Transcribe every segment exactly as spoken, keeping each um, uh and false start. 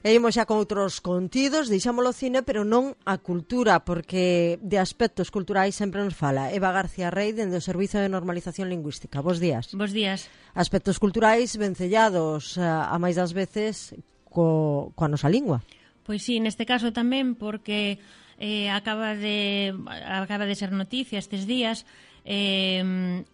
E imos xa con outros contidos, deixámolo o cine, pero non a cultura, porque de aspectos culturais sempre nos fala Eva García Rey, dende o Servizo de Normalización Lingüística. Bos días. Bos días. Aspectos culturais vencellados a, a máis das veces co, coa nosa lingua. Pois sí, neste caso tamén, porque eh, acaba de acaba de ser noticia estes días eh,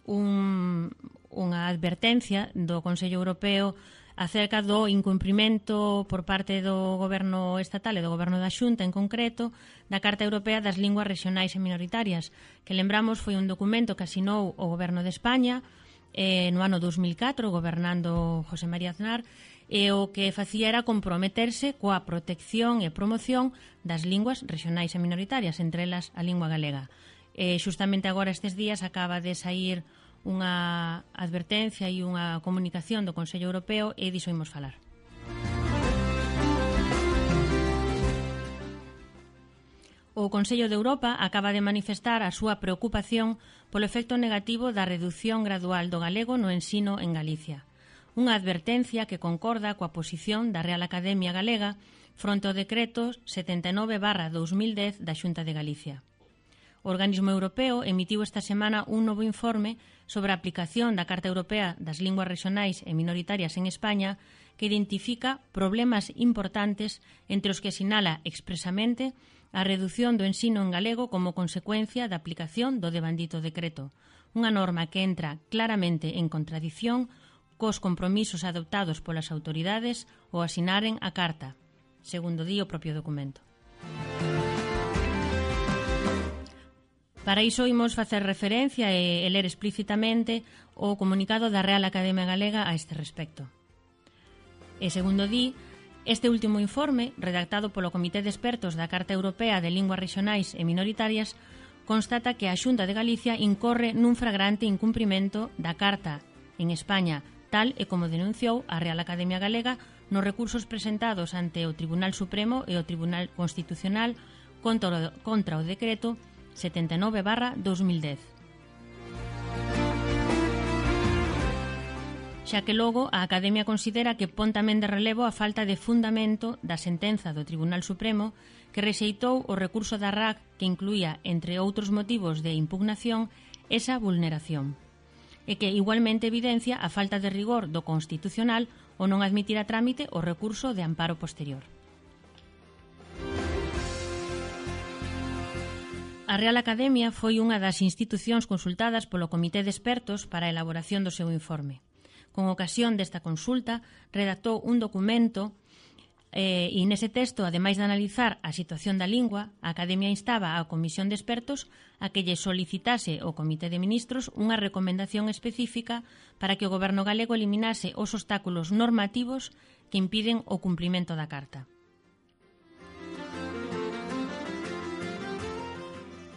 un, unha advertencia do Consello Europeo acerca do incumprimento por parte do goberno estatal e do goberno da Xunta en concreto da Carta Europea das Linguas Rexionais e Minoritarias, que lembramos foi un documento que asinou o goberno de España eh, no ano dos mil catro, gobernando José María Aznar, e o que facía era comprometerse coa protección e promoción das linguas rexionais e minoritarias, entre elas a lingua galega. E xustamente agora estes días acaba de saír unha advertencia e unha comunicación do Consello Europeo e diso imos falar. O Consello de Europa acaba de manifestar a súa preocupación polo efecto negativo da reducción gradual do galego no ensino en Galicia. Unha advertencia que concorda coa posición da Real Academia Galega fronte ao decreto setenta e nove barra dos mil dez da Xunta de Galicia. O organismo europeo emitiu esta semana un novo informe sobre a aplicación da Carta Europea das Linguas Rexionais e Minoritarias en España que identifica problemas importantes entre os que sinala expresamente a reducción do ensino en galego como consecuencia da aplicación do devandito decreto, unha norma que entra claramente en contradición cos compromisos adoptados polas autoridades ao asinaren a Carta, segundo di o propio documento. Para iso imos facer referencia e ler explícitamente o comunicado da Real Academia Galega a este respecto. E segundo di, este último informe, redactado polo Comité de Expertos da Carta Europea de Linguas Rexionais e Minoritarias, constata que a Xunta de Galicia incorre nun flagrante incumprimento da Carta en España, tal e como denunciou a Real Academia Galega nos recursos presentados ante o Tribunal Supremo e o Tribunal Constitucional contra o, contra o decreto setenta e nove barra dos mil dez. Xa que logo a Academia considera que pon tamén de relevo a falta de fundamento da sentenza do Tribunal Supremo que rexeitou o recurso da R A C que incluía, entre outros motivos de impugnación, esa vulneración, e que igualmente evidencia a falta de rigor do Constitucional o non admitir a trámite o recurso de amparo posterior. A Real Academia foi unha das institucións consultadas polo Comité de Expertos para a elaboración do seu informe. Con ocasión desta consulta, redactou un documento eh, e nese texto, ademais de analizar a situación da lingua, a Academia instaba á Comisión de Expertos a que lle solicitase ao Comité de Ministros unha recomendación específica para que o Goberno galego eliminase os obstáculos normativos que impiden o cumprimento da Carta.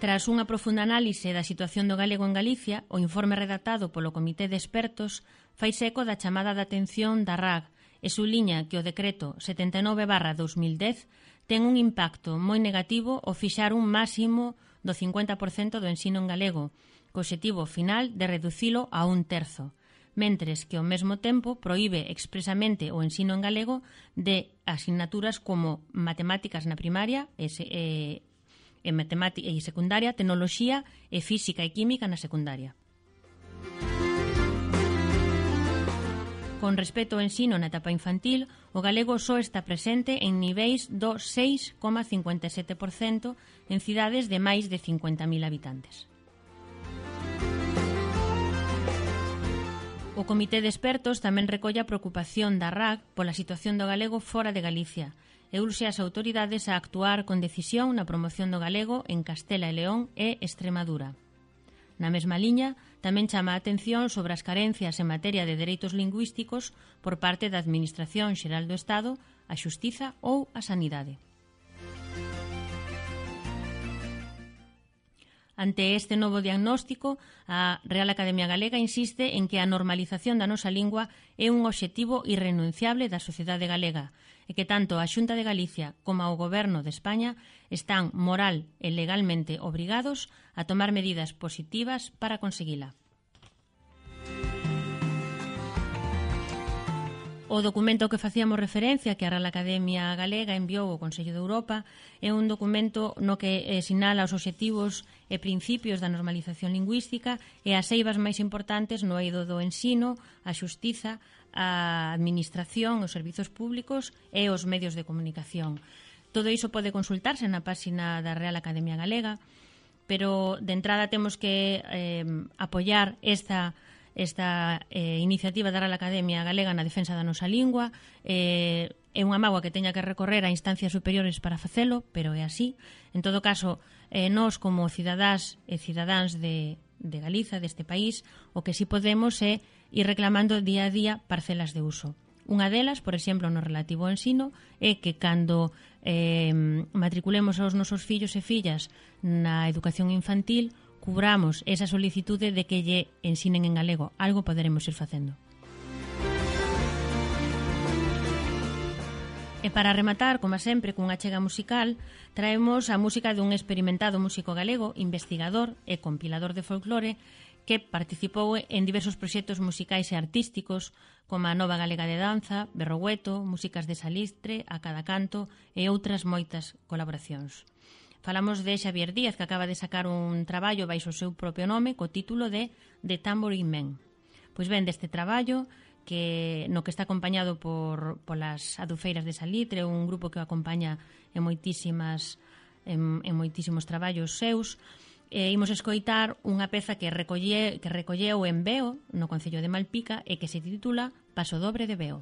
Tras unha profunda análise da situación do galego en Galicia, o informe redactado polo Comité de Expertos fai eco da chamada de atención da R A C e subliña que o decreto setenta e nove barra dos mil dez ten un impacto moi negativo ao fixar un máximo do cincuenta por cento do ensino en galego, co obxectivo final de reducilo a un terzo, mentres que ao mesmo tempo proíbe expresamente o ensino en galego de asignaturas como matemáticas na primaria e, e en matemática e secundaria, tecnoloxía e física e química na secundaria. Con respecto ao ensino na etapa infantil, o galego só está presente en niveis do seis coma cincuenta e sete por cento en cidades de máis de cincuenta mil habitantes. O Comité de Expertos tamén recolle a preocupación da R A C pola situación do galego fora de Galicia e urxe as autoridades a actuar con decisión na promoción do galego en Castela e León e Extremadura. Na mesma liña, tamén chama a atención sobre as carencias en materia de dereitos lingüísticos por parte da Administración Xeral do Estado, a Xustiza ou a Sanidade. Ante este novo diagnóstico, a Real Academia Galega insiste en que a normalización da nosa lingua é un obxectivo irrenunciable da sociedade galega e que tanto a Xunta de Galicia como o Goberno de España están moral e legalmente obrigados a tomar medidas positivas para conseguila. O documento que facíamos referencia, que a Real Academia Galega enviou ao Consello de Europa, é un documento no que eh, sinala os obxectivos e principios da normalización lingüística e as eivas máis importantes no eido do ensino, a xustiza, a administración, os servizos públicos e os medios de comunicación. Todo iso pode consultarse na páxina da Real Academia Galega, pero de entrada temos que eh, apoiar esta esta eh, iniciativa da Real Academia Galega na defensa da nosa lingua. Eh, é unha mágoa que teña que recorrer a instancias superiores para facelo, pero é así. En todo caso, eh, nós como cidadás e cidadáns de, de Galiza, deste país, o que sí podemos é ir reclamando día a día parcelas de uso. Unha delas, por exemplo, no relativo ao ensino, é que cando eh, matriculemos aos nosos fillos e fillas na educación infantil, cubramos esa solicitude de que lle ensinen en galego. Algo poderemos ir facendo. E para rematar, como sempre, cunha chega musical, traemos a música dun experimentado músico galego, investigador e compilador de folclore, que participou en diversos proxectos musicais e artísticos, como a Nova Galega de Danza, Berrogueto, Músicas de Salistre, A Cada Canto e outras moitas colaboracións. Falamos de Xavier Díaz, que acaba de sacar un traballo baixo o seu propio nome, co título de The Tambourine Man. Pois ben, deste traballo, que no que está acompañado por polas adufeiras de Salitre, un grupo que o acompaña en moitísimas en, en moitísimos traballos seus, e imos escoitar unha peza que recolle, que recolleu en Veo, no Concello de Malpica, e que se titula Paso Dobre de Veo.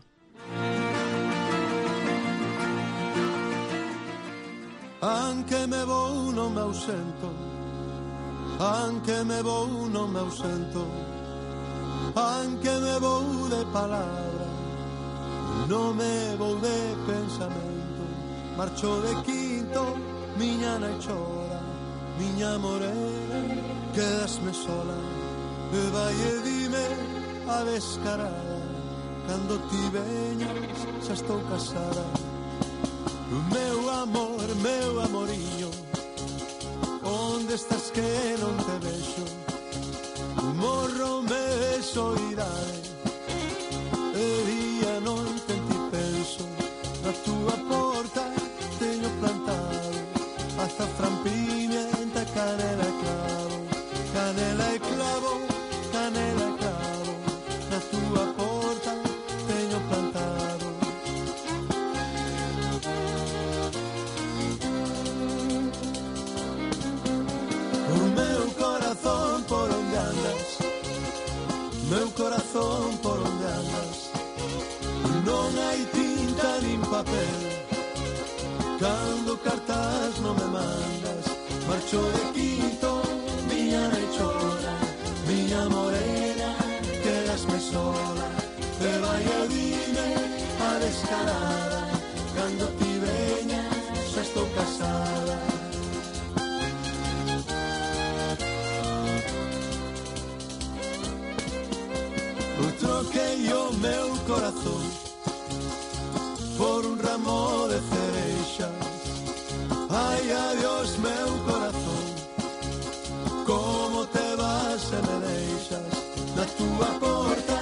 Anche me vou non me ausento, anche me vou non me ausento, anche me vou de palabra, non me vou de pensamento. Marcho de quinto, miña nai chora, miña morena, quedasme sola. E vai e dime a descarada, cando ti veñas xa estou casada. Meu amor, meu amoriño, onde estás que non te vexo? Morro me de soidade, e día non te ti penso. Na túa porta teño plantado azafrán, pimienta, canela e clavo, canela e clavo, canela e clavo. Na túa porta teño plantado. Por onde andas, meu corazón, por onde andas? Non hai tinta nin papel, cando cartas non me mandas. Marcho de quinto, miña nai chora, miña morena, quedasme sola. E vai a dime a descarada, cando ti veñas xa estou casada. Troquei o meu corazón por un ramo de cereixas. Ai, adiós, meu corazón, como te vas e me deixas. Na túa porta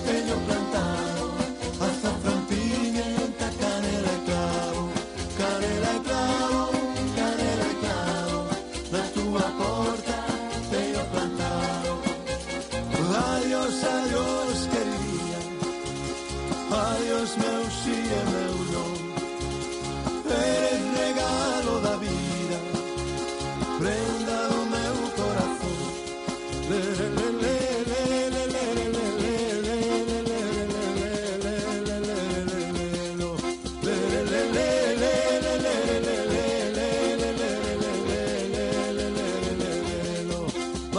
teño plantado azafrán, pimienta, canela e clavo, canela e clavo, canela e clavo. Na túa porta teño plantado. Adiós, adiós, queridía, adiós, meu si e meu non. Eres regalo da vida, prenda do meu corazón. Le, le, le, le, le, le, le, le, le, le,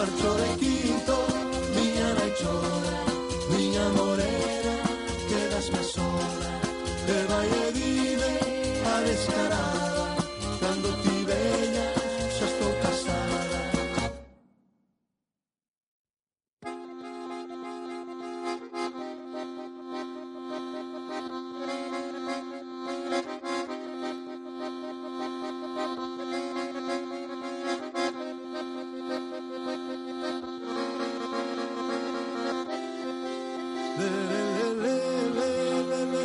marcho de quinto, miña nai chora, miña morena, quedasme sola. E vai e dime a descarada, cando ti veñas xa estou casada. Le, le, le, le, le, le,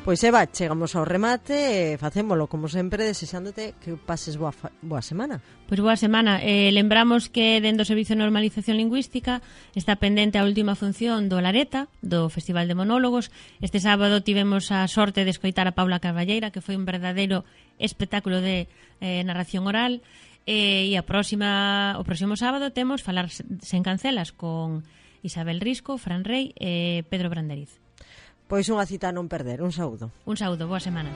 Pois Eva, chegamos ao remate e facémolo, como sempre, desexándote que pases boa, boa semana. Pois boa semana. Eh, lembramos que dentro do Servicio de Normalización Lingüística está pendente a última función do Lareta, do Festival de Monólogos. Este sábado tivemos a sorte de escoitar a Paula Carballeira, que foi un verdadeiro espectáculo de eh, narración oral. E a próxima, o próximo sábado temos Falar sen cancelas con Isabel Risco, Fran Rey e Pedro Branderiz. Pois unha cita a non perder. Un saúdo. Un saúdo, boa semana.